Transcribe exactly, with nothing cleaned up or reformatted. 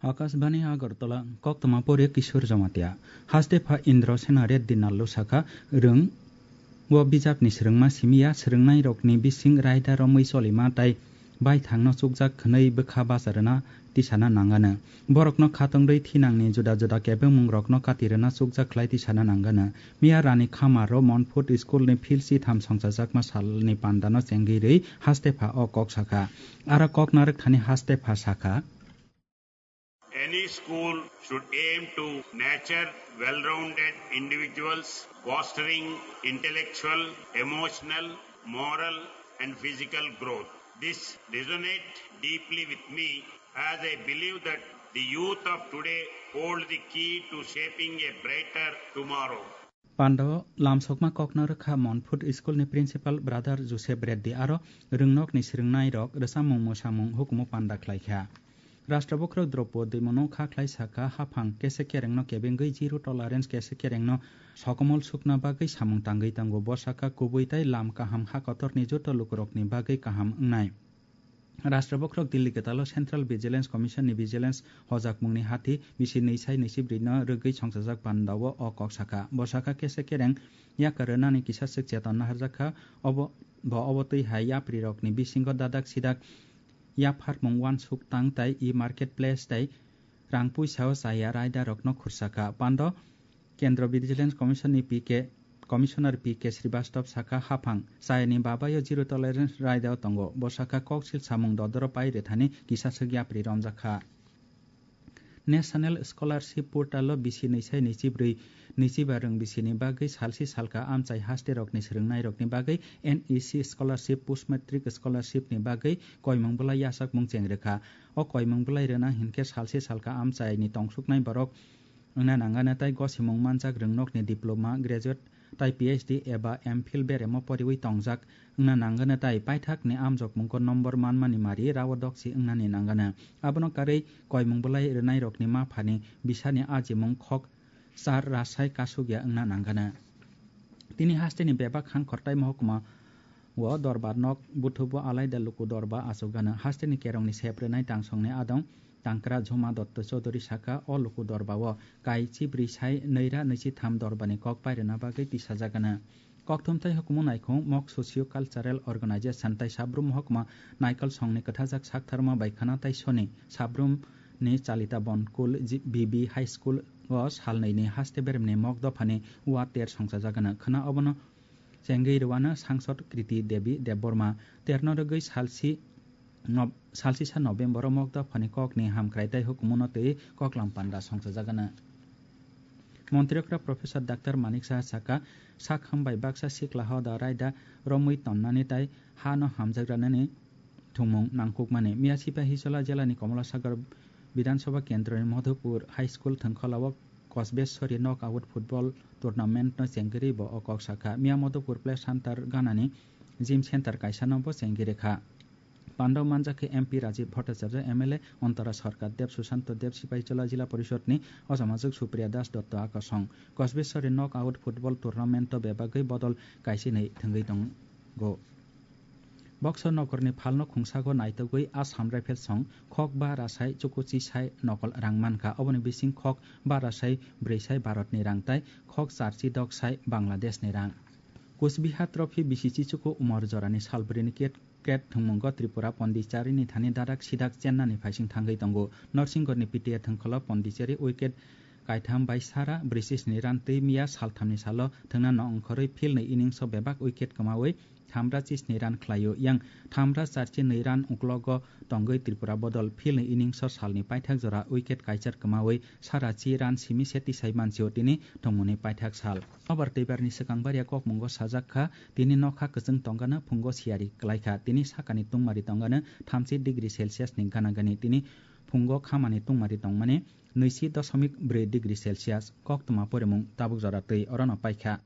Akashbani Agartala, koktwma pori Kishore Jamatia. Haste pha Indra Sena Reddy Nallo sakha, rwng o bijapni swrwngma simiya, swrwngnairokni bising raida romwi cholima tai baithangno chukjak khwnwi bwkha bacha rwna tisana nangano. Borokno khatungwi thinangni juda juda kebengmungrokno kati rwna chukjak khlai tisana nangano. Miya Rani Khamaro Monfut School ni field sitham songchajakma salni pandano chengwi rwi haste pha o kok sakha. Aro kok narwk thani haste pha sakha. Any school should aim to nurture well-rounded individuals, fostering intellectual, emotional, moral, and physical growth. This resonates deeply with me, as I believe that the youth of today hold the key to shaping a brighter tomorrow. Pandao lamsokma kokno rwkha Monfut School ni Principal Brother Joseph Reddy aro rwngnokni swrwngnairok rwchapmung mwsamung hukumu panda khlaikha. Rashtra Bokhorok Droupadi Murmu kha khlai sakha, haphang kese kerengno kebengwi zero tolerance kese kerengno sokomol sukna bagwi samung tangwi tongo. Bo sakha, kubui tai lam kaham ha kotorni joto lukurokni bagwi kaham wngnai. Rashtra Bokhorok Delhi kwtalo Central Vigilance Commission ni Vigilance hojakmungni hathi bisi nwi sai nwi si brwi no rwgwi songchajak pandao o kok sakha. Bo sakha, kese kereng yakar rwnani kisa swk cheton naharjak kha. Obo, bo obo twi hai yapri rokni bisingo dadak sidak yapharmung uansuk tang tai e-market place tai rang puisa o chaya raida rokno khursa kha. Pando Kendra Vigilance Commission ni P K, Commissioner P K Srivastava sakha, haphang chayani babayo zero tolerance raida o tongo. Bo sakha, koksil samung dodoro pai rwthani kisa swk yapri romjak kha. National Scholarship Portal o bisi nwi sai nwi si brwi nwi si ba rwng bisini bagwi salsi salka amchai haste rokni swrwngnairokni bagwi N E C Scholarship, Post Matric Scholarship ni bagwi koimung bwlai yachakmung cheng rwkha. O koimung bwlai rwna hinkhe salsi salka amchaini tongsuknai borok wngna nangano tai gosimung manjak rwngnokni diploma, graduate tai P H D eba M Phil beremo poriwi tongjak wngna nangano tai paithakni amjokmungo nombor manmani mari rao doksi wngnani nangano. Abono karwi koimung bwlai rwnairokni maphani bisani ajimung khok char rasai kasugya wngna nangano. Tini hasteni bebak hangkhortai mohokma o dorbar nok buthubo alaida luku dorba achukgano. Hasteni kerongni sep rwnai tangsongni adong Tangkra Jhoma Dotto Chaudhury sakha, o luku dorba o kai chibri sai nwi ra nwi si tham dorba ni kok pairwna bagwi tisajagana. Kokthum tai hukumu naikhung mok socio cultural organization tai sabrum mohokma naikol songni kwthajak saktharma bai khana tai soni sabrum ni Chalita Bonkul G-, B B High School o salnwi ni haste beremni mok dophani wa ter songchajagana. Khwna obono chengwi rwano sangsod Kriti Devi Debbarma terno rwgwi salsi Nob-, salsisa November o mok dophani kokni hamkrai tai hukumuno twi koklam panda songchajagana. Montri okra Professor Doctor Manik Saha sakha, sak hambai baksa sikla hoda raida romwi tonnani tai hano hamjak ranani thwngmung nangkukmani. Miya Sipahijola jelani Komolasagar Bidhan Sabha Kendroni Madhupur High School thwngkhwlao Kosbeshwari Knockout Football Tournament no chengkirwi bo o kok sakha. Miya Madhupur Play Center ganani gym center kaisano bo chengkiri kha. Pandao manjak khe M P Rajiv Bhattacharya, M L A Antara Sarkar Dev, Sushanta Dev, Sipahijola Jila Porishod ni Ojamajwk Supriya Das Dotto Akasong. Kosbeshwari Knockout Football Tournament o bebagwi bodol kaisa hinwi thwngwi tongo. Boxer nokorni phalno khungsago naitugwi Assam Rifles song khok ba rasai chukuchi sai nokol rang mankha. Oboni bising khok ba rasai brwi sai Bharatni rang tai khok charchi dok sai Bangladeshni rang. Kusbihar Trophy bisi chichuku umor jorani salbrini ket Ket thwngmungo Tripura Pondicherry ni thani dadak sidak chennani phaising thangwi tongo. Norsingorni P T A thwngkholo Pondicherry wicket kaitham bai sara brwisisni run twi miya salthamni salo thwngna nongkhorwi field ni innings o bebak wicket kwmawi thamra chisni run khlaio. Yang thamra charchi nwi run uklogo tongwi Tripura bodol field ni innings o salni paithak jora wicket kaichar kwmawi sara chi run simi se tisai mansio tini thwngmungni paithak sal. Nobar twibarni swkang baria kokmungo sajak kha, tini nokha kwchwng tongano phungo siyari kwlaikha, tini sakani tungmari tongano thamchi degree Celsius ni gana gani, tini phungo khamani tungmari tongmani nwichi dosomik bwrwi degree Celsius. Koktwma porimung tabuk jora twi orono paikha.